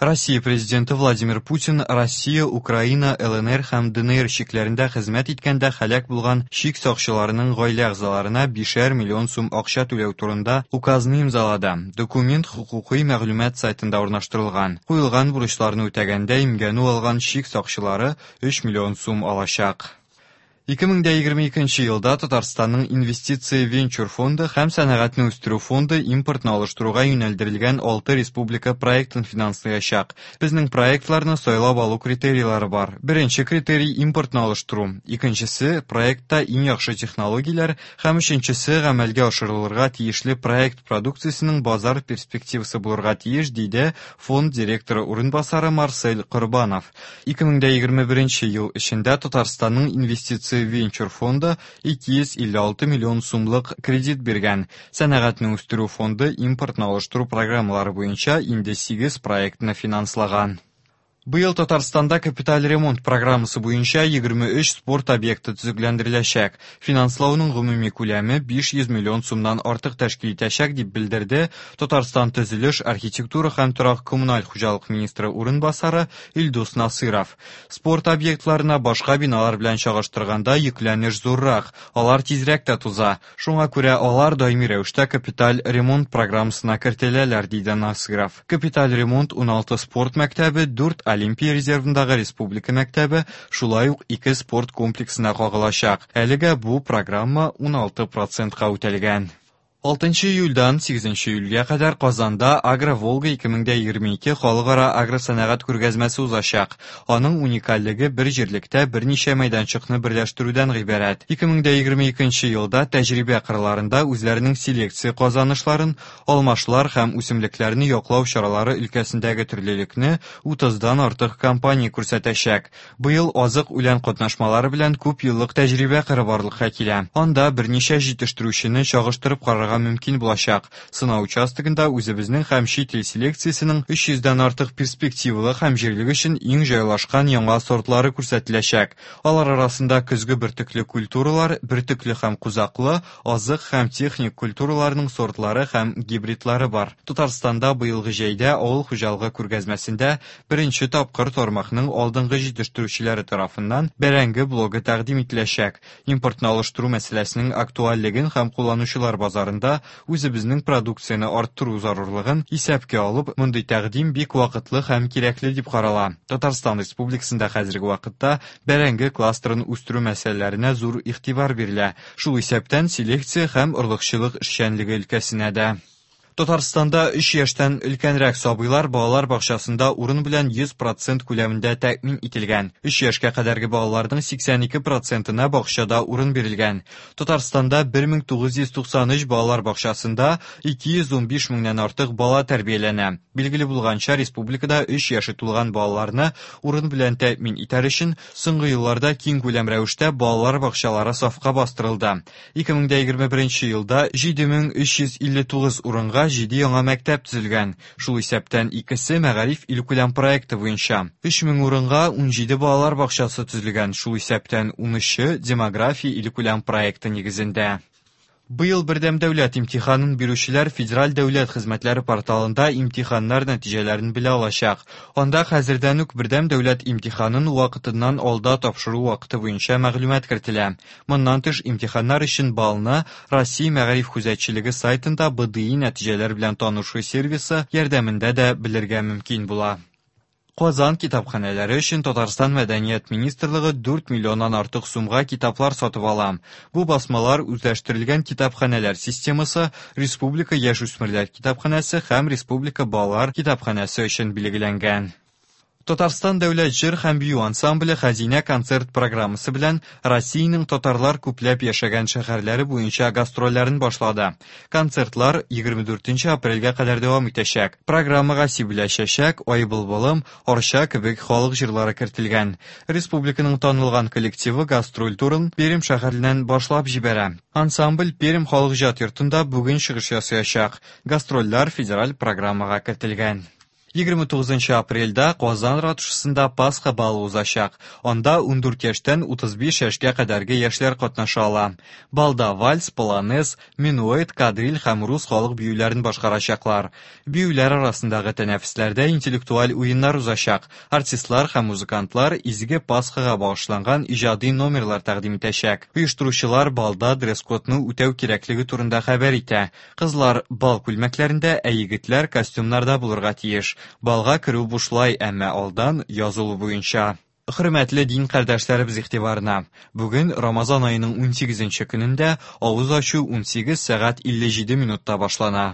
Россия Президенты Владимир Путин Россия, Украина, ЛНР һәм ДНР чикләрендә хезмәт иткәндә һәлак булган чик сакчыларының гаилә әгъзаларына бишәр миллион сум акча түләү турында указны имзалады. Документ хокукый мәгълүмат сайтында урнаштырылган. Куелган бурычларны үтәгәндә имгәнү алган чик сакчылары 3 миллион сум алачак. 2022 елда Татарстанның Инвестиция венчур фонды һәм Сәнәгатьне үстерү фонды импортны алыштыруга юнәлдерелгән алты республика проектын финанслаячак. Безнең проектларны сайлап алу критерийлары бар. Беренче критерий импортны алыштыру, икенчесе проектта иң яхшы технологияләр һәм өченчесе гамәлгә ашырылырга тиешле проект продукциясенең базар перспективасы булырга тиеш, диде фонд директоры урынбасары Марсель Корбанов. 2021 ел эчендә Татарстанның Инвестиция венчур фонды 256 миллион сумлык кредит биргән. Сәнәгатьне үстерү фонды импортны алыштыру программалары буенча инде 8 проектны финанслаган. Быел Татарстанда капиталь ремонт программасы буенча 23 спорт объекты төзекләндереләчәк. Финанслауның гомуми күләме 500 миллион сумнан артык тәшкил итәчәк, дип белдерде Татарстан төзелеш, архитектура һәм торак-коммуналь хуҗалык министры урынбасары Илдус Насыйров. Спорт объектларына башка биналар белән чагыштырганда йөкләнеш зуррак, алар тизрәк тә туза. Шуңа күрә алар даими рәвештә капиталь ремонт программасына кертеләләр, диде Насыйров. Капиталь ремонт 16 спорт мәктәбе, 4 Олимпия резервындагы республика мәктәбе, шулай ук 2 спорт комплексына кагылачак. Әлегә бу программа 16 процентка үтәлгән. 6 июльдән 8 июльгә кадәр Казанда Агро-Волга 2022 халыкара агросәнәгать күргәзмәсе узачак. Аның уникальлеге бер җирлектә берничә мәйданчыкны берләштерүдән гыйбарәт. 2022 елда тәҗрибә кырларында үзләренең селекция казанышларын, алмашлар һәм үсемлекләрне яклау чаралары өлкәсендәге төрлелекне 30-дан артык компания күрсәтәчәк. Быел азык үлән катнашмалары белән күп еллык тәҗрибә кыры барлыкка килә. Анда берничә җитештерүчене чагыштырып карарга мөмкин булачак. Сынау участогында үзебезнең һәм чит ил селекциясенең 300дән артык перспективалы һәм җирлек өчен иң җайлашкан яңа сортлары күрсәтеләчәк. Алар арасында көзге бөртекле культуралар, бөртекле һәм кузаклы, азык һәм техник культураларның сортлары һәм гибридлары бар. Татарстанда быелгы җәйдә авыл хуҗалыгы күргәзмәсендә беренче тапкыр тармакның алдынгы җитештерүчеләре тарафыннан бәрәңге блогы тәкъдим ителәчәк. Импортны алыштыру мәсьәләсенең актуальлеген һәм кулланучылар базарында үзебезнең продукцияне арттыру зарурлыгын исәпкә алып, мондый тәкъдим бик вакытлы һәм кирәкле дип карала. Татарстан Республикасында хәзерге вакытта бәрәңге кластерын үстерү мәсьәләләренә зур игътибар бирелә, шул исәптән селекция һәм орлыкчылык эшчәнлеге өлкәсенә дә. Татарстанда 3 яшьтән өлкәнрәк сабыйлар балалар бакчасында урын белән 100% күләмендә тәэмин ителгән. 3 яшькә кадәрге балаларның 82 процентына бакчада урын бирелгән. Татарстанда 1993 балалар бакчасында 215 меңнән артык бала тәрбияләнә. Билгеле булганча, республикада 3 яше тулган балаларны урын белән тәэмин итәр өчен соңгы елларда киң күләм рәвештә балалар бакчалары сафка бастырылды. 2021 елда 7359 урынга 7 яңа мәктәп төзелгән. Шул исәптән икесе Мәгариф илкүләм проекты буенча. 3000 урынга 17 балалар бакчасы төзелгән, шул исәптән 13-е Демография илкүләм проекты нигезендә. Быел бердәм дәүләт имтиханын бирүчеләр Федераль дәүләт хезмәтләре порталында имтиханнар нәтиҗәләрен белә алачак. Анда хәзердән үк бердәм дәүләт имтиханын вакытыннан алда тапшыру вакыты буенча мәгълүмат кертелә. Моннан тыш, имтиханнар өчен баллны Россия мәгариф күзәтчелеге сайтында БДИ нәтиҗәләр белән танышу сервисы ярдәмендә дә белергә мөмкин була. Казан китапханәләре өчен Татарстан Мәдәният министрлыгы 4 миллионнан артык сумга китаплар сатып ала. Бу басмалар үзләштерелгән китапханәләр системасы, Республика яшүсмерләр китапханәсе һәм Республика балалар китапханәсе өчен билгеләнгән. Татарстан дәүләт җыр һәм бию ансамбле Хәзинә концерт программасы белән Россиянең татарлар күпләп яшәгән шәһәрләре буенча гастрольләрен башлады. Концертлар 24 апрельгә кадәр дәвам итәчәк. Программага Сибелә чәчәк, Ай былбылым, Арча кебек халык җырлары кертелгән. Республиканың танылган коллективы гастроль турын Пермь шәһәреннән башлап җибәрә. Ансамбль Пермь халык иҗат йортында бүген чыгыш ясаячак. Гастрольләр федераль программага кертелгән. 29 апрельдә Казан ратушасында Пасха балы узачак. Анда 14 яшьтән 35 яшькә кадәрге яшьләр катнаша ала. Балда вальс, полонез, минуэт, кадриль һәм рус халык биюләрен башкарачаклар. Биюләр арасындагы тәнәфесләрдә интеллектуаль уеннар узачак. Артистлар һәм музыкантлар изге Пасхага багышланган иҗади номерлар тәкъдим итәчәк. Оештыручылар балда дресс-кодны үтәү кирәклеге турында хәбәр итә. Кызлар бал күлмәкләрендә, ә егетләр костюмнарда булырга тиеш. Балга керү бушлай, әмма алдан язылу буенча. Хөрмәтле дин кардәшләребез игътибарына! Бүген Рамазан аеның 18 нче көнендә авыз ачу 18 сәгать 57 минутта башлана.